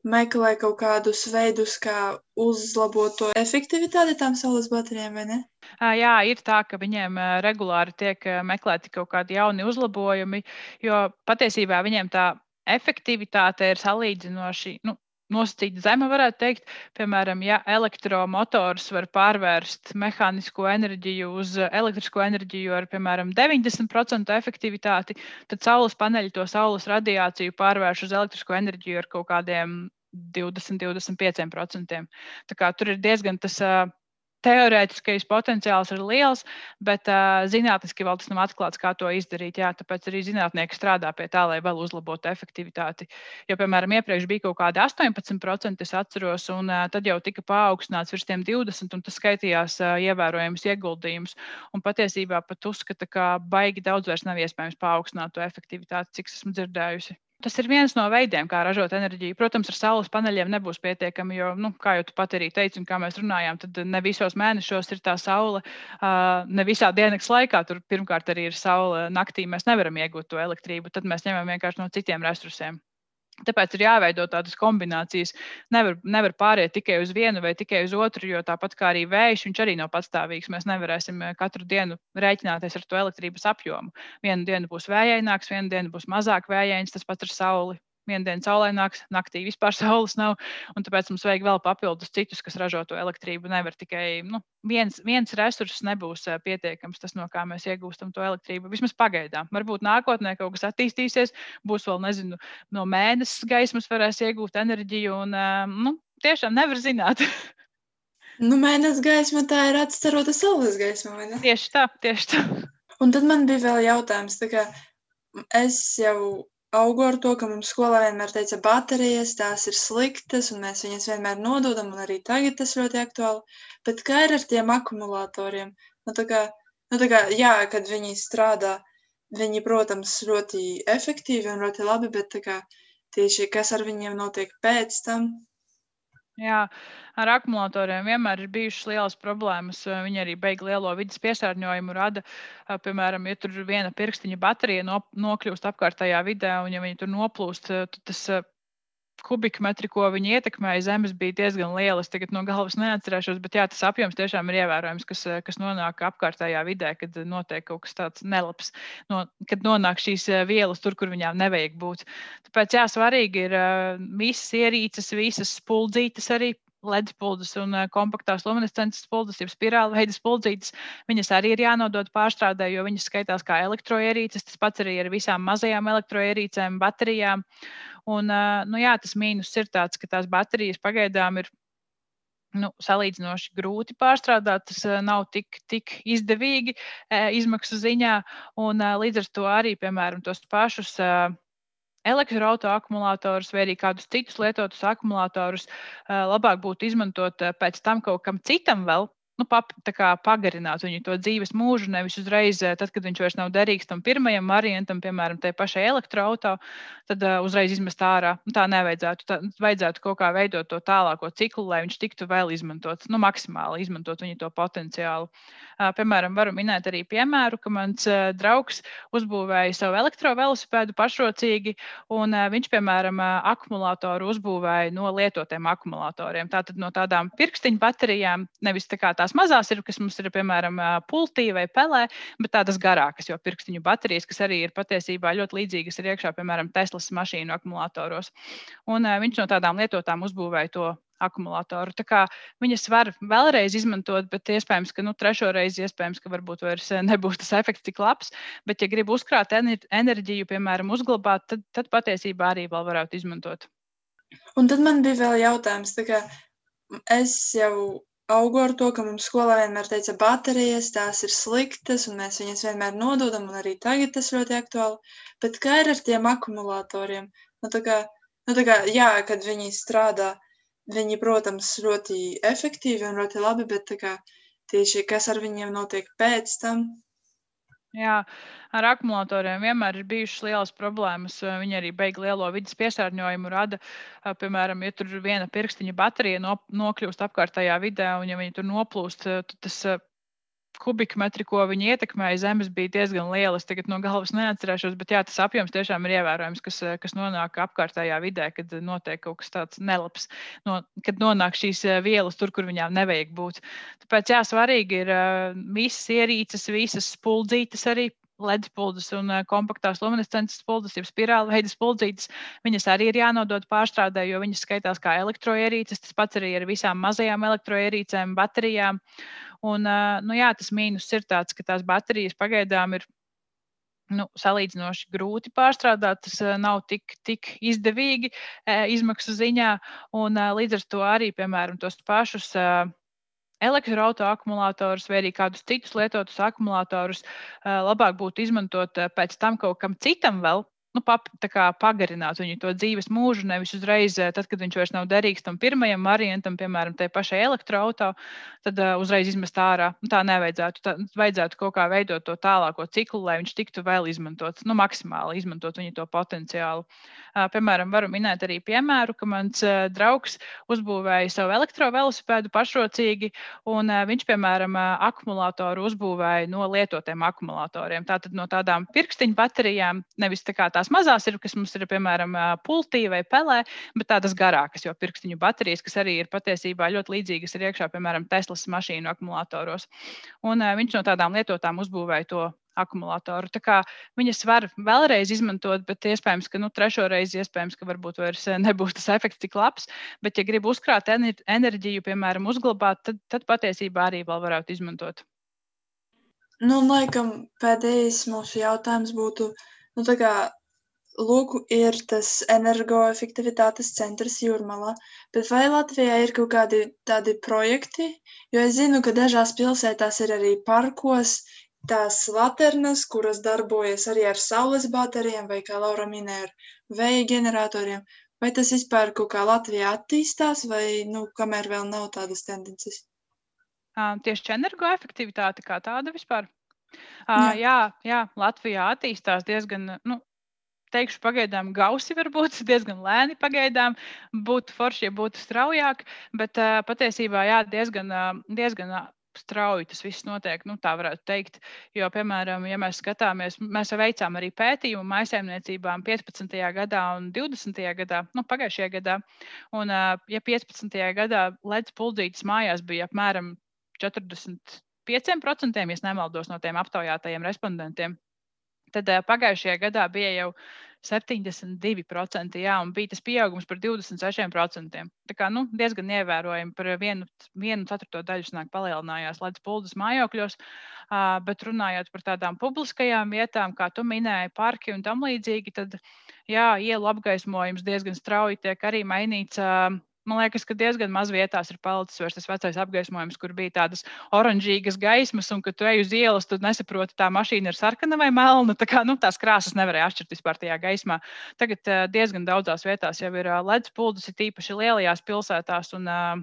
meklē kaut kādus veidus, kā uzlabot to efektivitāti tām saules baterijām, vai ne? Jā, ir tā, ka viņiem regulāri tiek meklēti kaut kādi jauni uzlabojumi, jo patiesībā viņiem tā efektivitāte ir salīdzinoši, nu, nosacīta zema, varētu teikt. Piemēram, ja elektromotors var pārvērst mehānisko enerģiju uz elektrisko enerģiju ar, piemēram, deviņdesmit procentu efektivitāti, tad saules paneļi to saules radiāciju pārvērš uz elektrisko enerģiju ar kaut kādiem divdesmit līdz divdesmit pieciem procentiem. Tā kā tur ir diezgan tas uh, teorētiskais potenciāls ir liels, bet uh, zinātniski vēl tas nav atklāts, kā to izdarīt. Jā, tāpēc arī zinātnieki strādā pie tā, lai vēl uzlabotu efektivitāti. Jo, piemēram, iepriekš bija kaut kādi astoņpadsmit procenti, es atceros, un uh, tad jau tika paaugstināts virs tiem divdesmit, un tas skaitījās uh, ievērojams ieguldījums. Un patiesībā pat uzskata, ka baigi daudz vairs nav iespējams paaugstināt to efektivitāti, cik esmu dzirdējusi. Tas ir viens no veidiem, kā ražot enerģiju. Protams, ar saules paneļiem nebūs pietiekami, jo, nu, kā jau tu pat arī teici, un kā mēs runājām, tad ne visos mēnešos ir tā saule, ne visā dienas laikā. Tur pirmkārt arī ir saule naktī, mēs nevaram iegūt to elektrību, tad mēs ņemam vienkārši no citiem resursiem. Tāpēc ir jāveido tādas kombinācijas. Nevar, nevar pāriet tikai uz vienu vai tikai uz otru, jo tāpat kā arī vējš, viņš arī nav patstāvīgs. Mēs nevarēsim katru dienu rēķināties ar to elektrības apjomu. Vienu dienu būs vējaināks, vienu dienu būs mazāk vējains, tas pats ar sauli. Vienu dienu saulaināks, naktī vispār saules nav, un tāpēc mums vajag vēl papildus citus, kas ražo to elektrību. Nevar tikai, nu, viens, viens resurss nebūs pietiekams, tas, no kā mēs iegūstam to elektrību. Vismaz pagaidām. Varbūt nākotnē kaut kas attīstīsies, būs vēl, nezinu, no mēnesis gaismas varēs iegūt enerģiju, un, nu, tiešām nevar zināt. Nu, mēnesis gaisma tā ir atstarota saules gaisma, vai ne? Tieši tā, tieši tā. Un tad man bija vēl jautājums, tā kā es jau augu ar to, ka mums skolā vienmēr teica baterijas, tās ir sliktas, un mēs viņas vienmēr nododam, un arī tagad tas ļoti aktuāli. Bet kā ir ar tiem akumulatoriem? Nu, tā kā, nu, tā kā, jā, kad viņi strādā, viņi, protams, ļoti efektīvi un ļoti labi, bet tā kā tieši kas ar viņiem notiek pēc tam? Jā, ar akumulatoriem vienmēr ir bijušas lielas problēmas. Viņi arī beig lielo vidas piesārņojumu rada. Piemēram, ja tur viena pirkstiņa baterija nokļūst apkārtējā vidē, un ja viņi tur noplūst, tad tas kubikmetri, ko viņi ietekmēja, zemes bija diezgan lielas. Tagad no galvas neatcerēšos, bet jā, tas apjoms tiešām ir ievērojams, kas, kas nonāk apkārtējā vidē, kad notiek kaut kas tāds nelabs, no, kad nonāk šīs vielas tur, kur viņām nevajag būt. Tāpēc jā, svarīgi ir visas ierīces, visas spuldzītes arī, L E D spuldzes un kompaktās luminescences spuldzes, jeb spirāla veida spuldzītes. Viņas arī ir jānodod pārstrādē, jo viņas skaitās kā elektroierīces. Tas pats arī ar visām mazajām elektroierīcēm, baterijām. Un, nu jā, tas mīnus ir tāds, ka tās baterijas pagaidām ir nu, salīdzinoši grūti pārstrādāt. Tas nav tik, tik izdevīgi izmaksu ziņā. Un līdz ar to arī, piemēram, tos pašus elektroauto akumulatorus vai arī kādus citus lietotus akumulatorus labāk būtu izmantot pēc tam kaut kam citam vēl, nu, pap, tā kā pagarināt viņu to dzīves mūžu, nevis uzreiz, tad, kad viņš vairs nav derīgs tam pirmajam variantam, piemēram, tai pašai elektroauto, tad uh, uzreiz izmest ārā. Nu, tā nevajadzētu. Tā, vajadzētu kaut kā veidot to tālāko ciklu, lai viņš tiktu vēl izmantots, nu, maksimāli izmantot viņu to potenciālu. Uh, piemēram, varu minēt arī piemēru, ka mans uh, draugs uzbūvēja savu elektrovelosipēdu pašrocīgi, un uh, viņš, piemēram, uh, akumulātoru uzbūvēja no lietotiem akumulatoriem. Tātad no tādām pirkstiņu baterijām, nevis tā kā tās mazās ir, kas mums ir, piemēram, pultī vai pelē, bet tādas garākas, jo pirkstiņu baterijas, kas arī ir patiesībā ļoti līdzīgas, ir iekšā, piemēram, Teslas mašīnu akumulātoros. Un uh, viņš no tādām lietotām uzbūvēja to akumulātoru. Tā kā viņas var vēlreiz izmantot, bet iespējams, ka nu, trešo reizi iespējams, ka varbūt vairs nebūs tas efekts tik labs, bet ja grib uzkrāt enerģiju, piemēram, uzglabāt, tad, tad patiesībā arī vēl varētu izmantot. Un tad man bija vēl jautājums, tā kā es jau augu ar to, ka mums skolā vienmēr teica baterijas, tās ir sliktas, un mēs viņas vienmēr nododam, un arī tagad tas ļoti aktuāli. Bet kā ir ar tiem akumulatoriem? Nu, tā kā, nu, tā kā, jā, kad viņi strādā, viņi, protams, ļoti efektīvi un ļoti labi, bet tā kā tieši kas ar viņiem notiek pēc tam? Jā, ar akumulatoriem vienmēr ir bijušas lielas problēmas. Viņi arī beiga lielo vidas piesārņojumu, rada, piemēram, ja tur viena pirkstiņa baterija nokļūst apkārtējā vidē, un ja viņi tur noplūst, tad tas kubikmetri, ko viņi ietekmēja zemes, bija diezgan lielas. Tagad no galvas neatcerēšos, bet jā, tas apjoms tiešām ir ievērojams, kas, kas nonāk apkārtējā vidē, kad notiek kaut kas tāds nelabs, no, kad nonāk šīs vielas tur, kur viņām nevajag būt. Tāpēc jā, svarīgi ir visas ierīces, visas spuldzītes arī, L E D spuldzes un kompaktās luminescences spuldzes, jeb spirāli veidas spuldzītes. Viņas arī ir jānodod pārstrādē, jo viņas skaitās kā elektroierīces. Tas pats arī ar visām mazajām elektroierīcēm, baterijām. Un, nu jā, tas mīnus ir tāds, ka tās baterijas pagaidām ir nu, salīdzinoši grūti pārstrādāt. Tas nav tik, tik izdevīgi izmaksu ziņā. Un līdz ar to arī, piemēram, tos pašus elektroauto akumulātorus vai arī kādus citus lietotus akumulātorus labāk būtu izmantot pēc tam kaut kam citam vēl, nu, pap, tā kā pagarināt viņu to dzīves mūžu, nevis uzreiz, tad, kad viņš vairs nav derīgs tam pirmajam variantam, piemēram, tai pašai elektroauto, tad uh, uzreiz izmest ārā. Nu, tā nevajadzētu. Tā, vajadzētu kaut kā veidot to tālāko ciklu, lai viņš tiktu vēl izmantots, nu, maksimāli izmantot viņu to potenciālu. Uh, piemēram, varu minēt arī piemēru, ka mans uh, draugs uzbūvēja savu elektrovelosipēdu pašrocīgi, un uh, viņš, piemēram, uh, akumulātoru uzbūvēja no lietotiem akumulatoriem. Tātad no tādām pirkstiņu baterijām, nevis tā kā tās mazās ir, kas mums ir, piemēram, pultī vai pelē, bet tādas garākas, jo pirkstiņu baterijas, kas arī ir patiesībā ļoti līdzīgas, ir iekšā, piemēram, Teslas mašīnu akumulātoros. Un uh, viņš no tādām lietotām uzbūvēja to akumulātoru. Tā kā viņas var vēlreiz izmantot, bet iespējams, ka nu, trešo reizi iespējams, ka varbūt vairs nebūs tas efekts tik labs, bet ja grib uzkrāt enerģiju, piemēram, uzglabāt, tad, tad patiesībā arī vēl varētu izmantot. Nu, laikam, pēdējais mūsu jautājums būtu, nu, tā kā Lūk, ir tas energoefektivitātes centrs Jūrmalā, bet vai Latvijā ir kaut kādi tādi projekti? Jo es zinu, ka dažās pilsētās ir arī parkos tās laternas, kuras darbojas arī ar saules baterijām vai, kā Laura minēja, ar vēja ģeneratoriem. Vai tas vispār kaut kā Latvijā attīstās vai, nu, kamēr vēl nav tādas tendences? Uh, tieši energoefektivitāte kā tāda vispār? Uh, jā. jā, jā, Latvijā attīstās diezgan, nu, teikšu pagaidām gausi varbūt, diezgan lēni pagaidām, būtu forši, ja būtu straujāk, bet uh, patiesībā jā, diezgan, uh, diezgan strauji tas viss notiek, nu tā varētu teikt, jo, piemēram, ja mēs skatāmies, mēs veicām arī pētījumu mājsaimniecībām piecpadsmitajā gadā un divdesmitajā gadā, nu pagājušajā gadā, un uh, ja piecpadsmitajā gadā L E D spuldzītes mājās bija apmēram četrdesmit pieci procenti, ja nemaldos no tiem aptaujātajiem respondentiem, tad uh, pagājušajā gadā bija jau septiņdesmit divi procenti, jā, un bija tas pieaugums par divdesmit sešiem procentiem. Tā kā, nu, diezgan ievērojami par vienu, vienu ceturto daļu sanāk palielinājās L E D spuldzes mājokļos, uh, bet runājot par tādām publiskajām vietām, kā tu minēji, parki un tam līdzīgi, tad, jā, ielu apgaismojums diezgan strauji tiek arī mainīts. Uh, Man liekas, ka diezgan maz vietās ir palicis vairs tas vecais apgaismojums, kur bija tādas oranžīgas gaismas, un, kad tu ej uz ielas, tu nesaproti, tā mašīna ir sarkana vai melna. Tā kā, nu, tās krāsas nevarēja atšķirt vispār tajā gaismā. Tagad uh, diezgan daudzās vietās jau ir uh, L E D spuldzes, ir tīpaši lielajās pilsētās un, uh,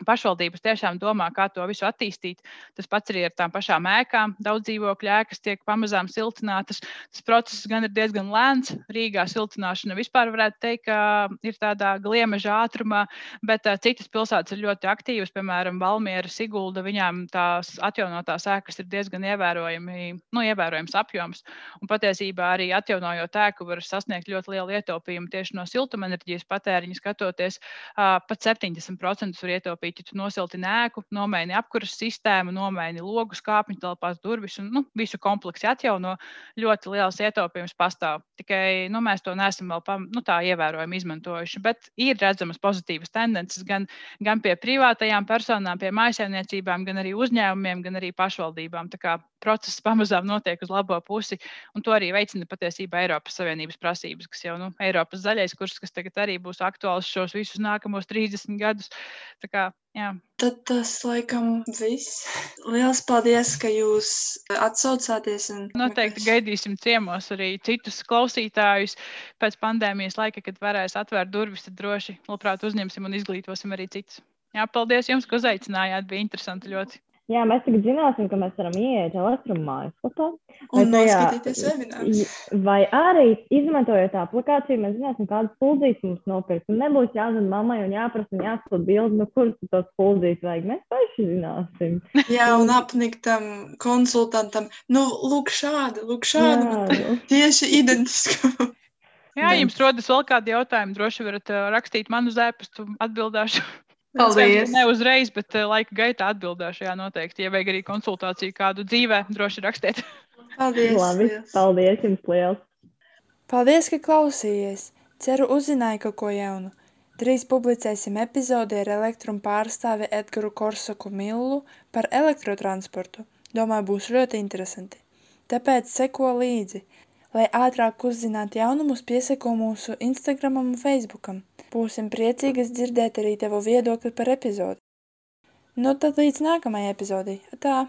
pašvaldības tiešām domā, kā to visu attīstīt. Tas pats arī ar tām pašām ēkām. Daudz dzīvokļu ēkas tiek pamazām siltinātas. Tas process gan ir diezgan lēns. Rīgā siltināšana vispār varētu teikt, ka ir tādā gliemeža ātrumā, bet uh, citas pilsētas ir ļoti aktīvas. Piemēram, Valmiera, Sigulda, viņām tās atjaunotās ēkas ir diezgan ievērojami, nu, ievērojams apjoms. Un patiesībā arī atjaunojot ēku var sasniegt ļoti lielu ietaupījumu tieši no siltumenerģijas patēriņa skatoties. Uh, pat septiņdesmit procentus var ietaupīt. Ja tu nosiltini ēku, nomaini apkuras sistēmu, nomaini logus, kāpņu telpās, durvis un nu, visu kompleksu atjauno, ļoti liels ietaupījums pastāv. Tikai nu, mēs to neesam vēl pam, nu, tā ievērojami izmantojuši. Bet ir redzamas pozitīvas tendences gan, gan pie privātajām personām, pie mājsaimniecībām, gan arī uzņēmumiem, gan arī pašvaldībām. Tā kā process pamazām notiek uz labo pusi, un to arī veicina patiesībā Eiropas Savienības prasības, kas jau nu, Eiropas zaļais kurs, kas tagad arī būs aktuāls šos visus nākamos trīsdesmit gadus. Tā kā, jā. Tad tas laikam viss. Liels paldies, ka jūs atsaucāties. Un... Noteikti gaidīsim ciemos arī citus klausītājus pēc pandēmijas laika, kad varēs atvērt durvis, tad droši labprāt uzņemsim un izglītosim arī citus. Jā, paldies jums, ka uzaicinājāt, bija interesanti ļoti. Jā, mēs tagad zināsim, ka mēs varam ieiet Elektrum mājaslapā. Un noskatīties webinārus. Vai arī, izmantojot aplikāciju, mēs zināsim, kādas spuldzītes mums nopirkt. Un nebūs jāzina mammai un jāprasa un jāskat bildi, no kuras tos spuldzītes vajag. Mēs paši zināsim. Jā, un apniktam konsultantam. Nu, lūk šādi, lūk šādi. Jā. Tieši identiski. Jā, jums rodas vēl kādi jautājumi, droši varat uh, rakstīt man uz ēpastu, atbildēšu. Paldies! Ne uzreiz, bet laika gaitā atbildēšu, jā, noteikti. Ja vajag arī konsultāciju kādu dzīvē, droši rakstiet. Paldies! Labi, paldies jums liels! Paldies, ka klausījies! Ceru uzzināju kaut ko jaunu. Drīz publicēsim epizodi ar Elektrum pārstāvi Edgaru Korsaku Millu par elektrotransportu. Domāju, būs ļoti interesanti. Tāpēc seko līdzi. Lai ātrāk uzzinātu jaunumus, pieseko mūsu Instagramam un Facebookam. Būsim priecīgas dzirdēt arī tevu viedokli par epizodi. Nu tad līdz nākamajai epizodei. Tā!